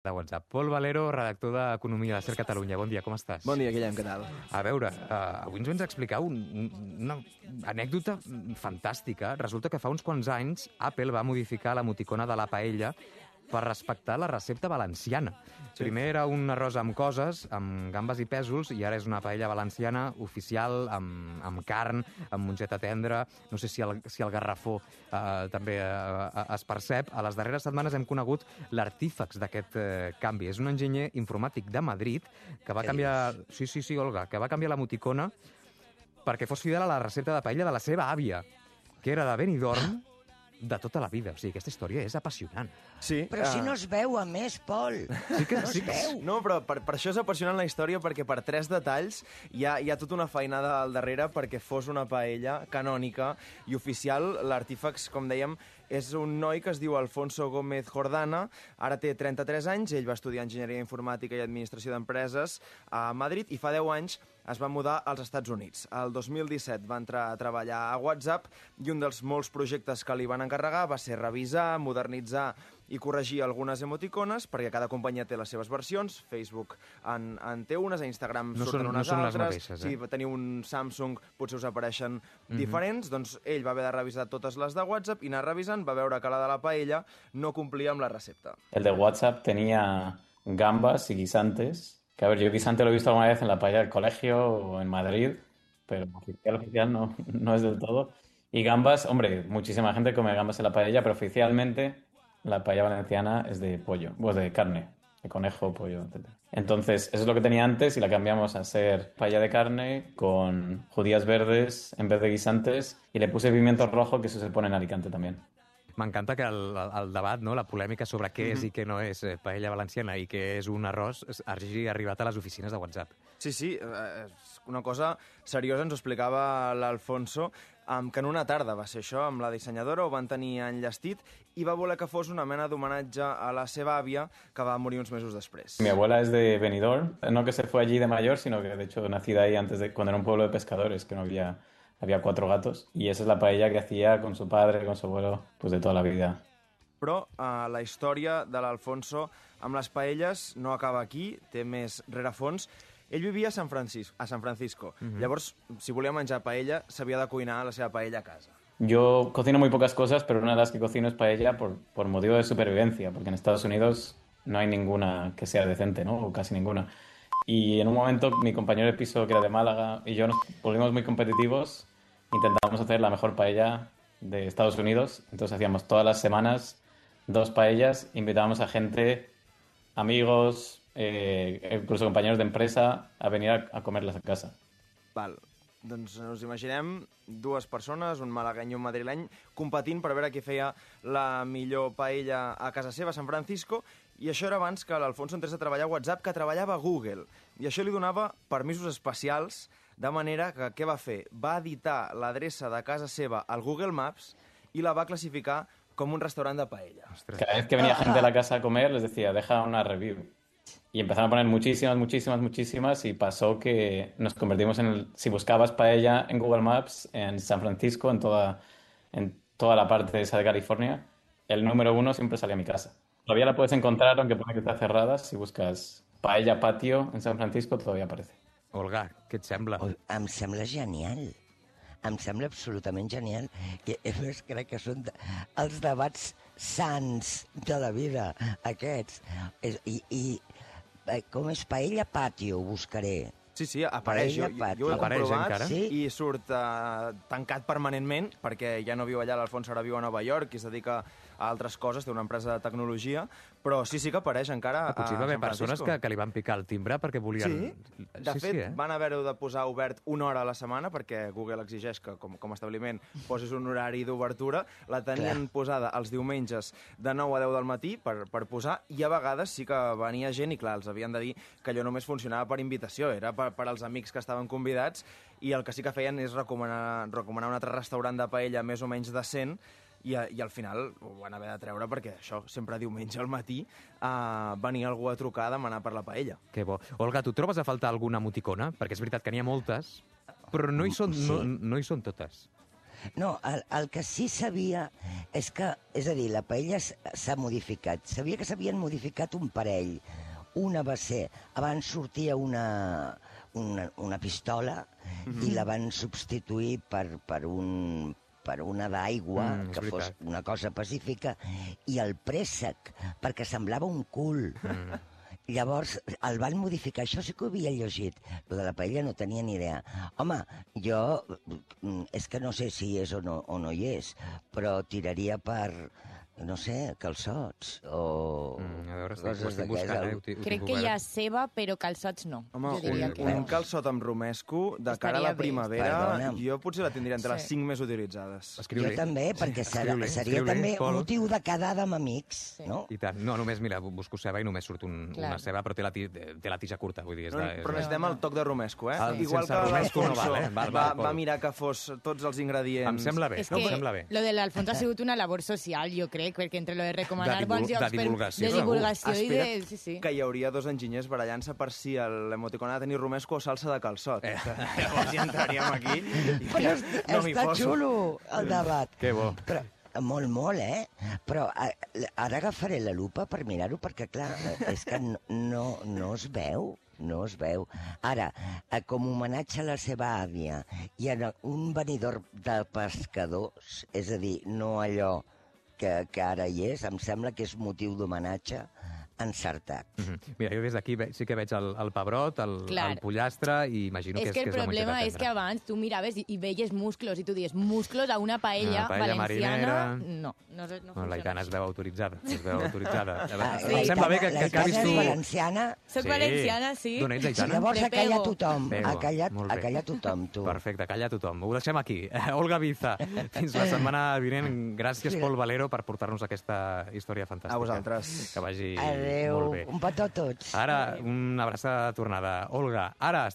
de WhatsApp. Pol Valero, redactor d'Economia de Ser Catalunya. Bon dia, com estàs? Bon dia, Guillem, què tal? A veure, avui ens vens a explicar una anècdota fantàstica. Resulta que fa uns quants anys Apple va modificar l'emoticona de la paella per respectar la recepta valenciana. Sí. Primer era un arròs amb coses, amb gambes i pèsols, i ara és una paella valenciana oficial, amb carn, amb mongeta tendra. No sé si el garrafó també es percep. A les darreres setmanes hem conegut l'artífex d'aquest canvi. És un enginyer informàtic de Madrid que va canviar... Sí, Olga, que va canviar l'emoticona perquè fos fidel a la recepta de paella de la seva àvia, que era de Benidorm, de tota la vida. O sigui, aquesta història és apassionant. Sí. Però si no es veu, a més, Pol. Sí que, no es veu. No, però per això és apassionant la història, perquè per 3 detalls hi ha tota una feinada al darrere perquè fos una paella canònica i oficial. L'artífex, com dèiem, és un noi que es diu Alfonso Gómez Jordana, ara té 33 anys, ell va estudiar Enginyeria Informàtica i Administració d'Empreses a Madrid i fa 10 anys es va mudar als Estats Units. El 2017 va entrar a treballar a WhatsApp i un dels molts projectes que li van encarregar va ser revisar, modernitzar i corregir algunes emoticones, perquè cada companyia té les seves versions. Facebook en té unes, a Instagram surten unes no són altres. Les mateixes, Si teniu un Samsung, potser us apareixen diferents. Doncs ell va haver de revisar totes les de WhatsApp i anar revisant, va veure que la de la paella no complia amb la recepta. El de WhatsApp tenía gambas y guisantes. Que a ver, yo guisante lo he visto alguna vez en la paella del colegio o en Madrid, pero oficial no es del todo. Y gambas, hombre, muchísima gente come gambas en la paella, pero oficialmente la paella valenciana es de pollo, pues de carne, de conejo, pollo, etc. Entonces, eso es lo que tenía antes y la cambiamos a ser paella de carne con judías verdes en vez de guisantes y le puse pimiento rojo, que eso se pone en Alicante también. M'encanta que el debat, no, la polèmica sobre què és i què no és paella valenciana i què és un arròs hagi arribat a les oficines de WhatsApp. Sí, és una cosa seriosa, ens ho explicava l'Alfonso, que en una tarda va ser això, amb la dissenyadora, ho van tenir enllestit i va voler que fos una mena d'homenatge a la seva àvia, que va morir uns mesos després. Mi abuela es de Benidorm, no que se fue allí de mayor, sino que de hecho nacida ahí cuando era un pueblo de pescadores, que no había 4 gatos, y esa es la paella que hacía con su padre, con su abuelo, pues de toda la vida. Però la història de l'Alfonso amb les paelles no acaba aquí, té més rerefons. Ell vivia a San Francisco. Llavors, si volia menjar paella, s'havia de cuinar la seva paella a casa. Yo cocino muy pocas cosas, pero una de las que cocino es paella por motivo de supervivencia, porque en Estados Unidos no hay ninguna que sea decente, ¿no? O casi ninguna. Y en un momento mi compañero de piso, que era de Málaga, y yo nos volvimos muy competitivos. Intentamos hacer la mejor paella de Estados Unidos. Entonces hacíamos todas las semanas 2 paellas, invitábamos a gente, amigos, incluso compañeros de empresa, a venir a comerlas a casa. Val. Doncs us imaginem 2 persones, un malagueny i un madrileny, competint per veure qui feia la millor paella a casa seva, a San Francisco, i això era abans que l'Alfonso entrés a treballar a WhatsApp, que treballava a Google. I això li donava permisos especials, de manera que què va fer? Va editar l'adreça de casa seva al Google Maps i la va classificar com un restaurant de paella. Cada vez que venía gente a la casa a comer, les decía, deja una review. Y empezaron a poner muchísimas, y pasó que nos convertimos si buscabas paella en Google Maps, en San Francisco, en toda la parte esa de California, el número 1 siempre salía a mi casa. Todavía la puedes encontrar, aunque pone que está cerrada, si buscas paella patio en San Francisco, todavía aparece. Olga, què et sembla? Em sembla genial. Em sembla absolutament genial. I a més, crec que són els debats sants de la vida, aquests. I com és paella patio, ho buscaré. Sí, apareix. Jo ho he comprovat sí? I surt tancat permanentment, perquè ja no viu allà, l'Alfonso ara viu a Nova York i es dedica a altres coses, té una empresa de tecnologia, però sí que apareix encara a San Francisco. Potser va haver persones que li van picar el timbre perquè volien... Sí, de fet, van haver-ho de posar obert 1 hora a la setmana, perquè Google exigeix que, com a establiment, posis un horari d'obertura. La tenien posada els diumenges de 9 a 10 del matí per posar, i a vegades sí que venia gent, i clar, els havien de dir que allò només funcionava per invitació, era per als amics que estaven convidats, i el que sí que feien és recomanar un altre restaurant de paella més o menys decent, i al final ho van haver de treure perquè això, sempre diumenge al matí venia algú a trucar a demanar per la paella. Que bo. Olga, tu trobes a faltar alguna emoticona? Perquè és veritat que n'hi ha moltes, però no hi són totes. No, el que sí sabia és que, és a dir, la paella s'ha modificat. Sabia que s'havien modificat un parell. Una va ser, abans sortia una pistola i la van substituir per una d'aigua, que fos una cosa pacífica, i el préssec, perquè semblava un cul. Llavors, el van modificar. Això sí que ho havia llegit. Lo de la paella no tenia ni idea. Home, jo... És que no sé si hi és o no hi és, però tiraria per... no sé, calçots o a veure, coses estic buscant, Crec que hi ha ceba, però calçots no. Home, jo diria que un calçot amb romesco de cara a la primavera, Perdona'm. jo potser la tindria entre les 5 més utilitzades. Jo també, perquè seria també motiu de quedada amb amics, no? I tant. No, només, mira, busco ceba i només surt una ceba, però té la tija curta, vull dir. Però necessitem el toc de romesco, eh? Igual que sense romesco no l'Alfonso val, va mirar que fos tots els ingredients. Em sembla bé, És que em sembla bé. lo de l'Alfonso ha sigut una labor social, jo crec, perquè entre lo de recomanar bons De llocs divulgació, de divulgació i de... Espera't Sí, sí. que hi hauria dos enginyers barallant-se per si l'emoticon ha de tenir romesco o salsa de calçot. Llavors ja entraríem aquí. Però No m'hi està poso. xulo, el debat. Que bo. Però, molt, eh? Però ara agafaré la lupa per mirar-ho, perquè, clar, és que no es veu. No es veu. Ara, com a homenatge a la seva àvia i a un venidor de pescadors, és a dir, no allò que ara hi és, em sembla que és motiu d'homenatge encertat. Mira, jo des d'aquí sí que veig el pebrot, el pollastre, i imagino que és que el problema és que abans tu miraves i veies musclos, i tu dius musclos a una paella valenciana... No funciona. L'Aitana es veu autoritzada. Sí, Em sembla bé que acabis tu... valenciana. Soc valenciana, sí. D'on ets, Aitana? Llavors ha callat tothom. Pego. Ha callat tothom, tu. Perfecte, calla tothom. Ho deixem aquí. Olga Biza, fins la setmana vinent. Gràcies, Pol Valero, per portar-nos aquesta història fantàstica. A vosaltres. Que vagi Adéu, molt bé. un petó a tots. Ara, una abraçada de tornada. Olga, ara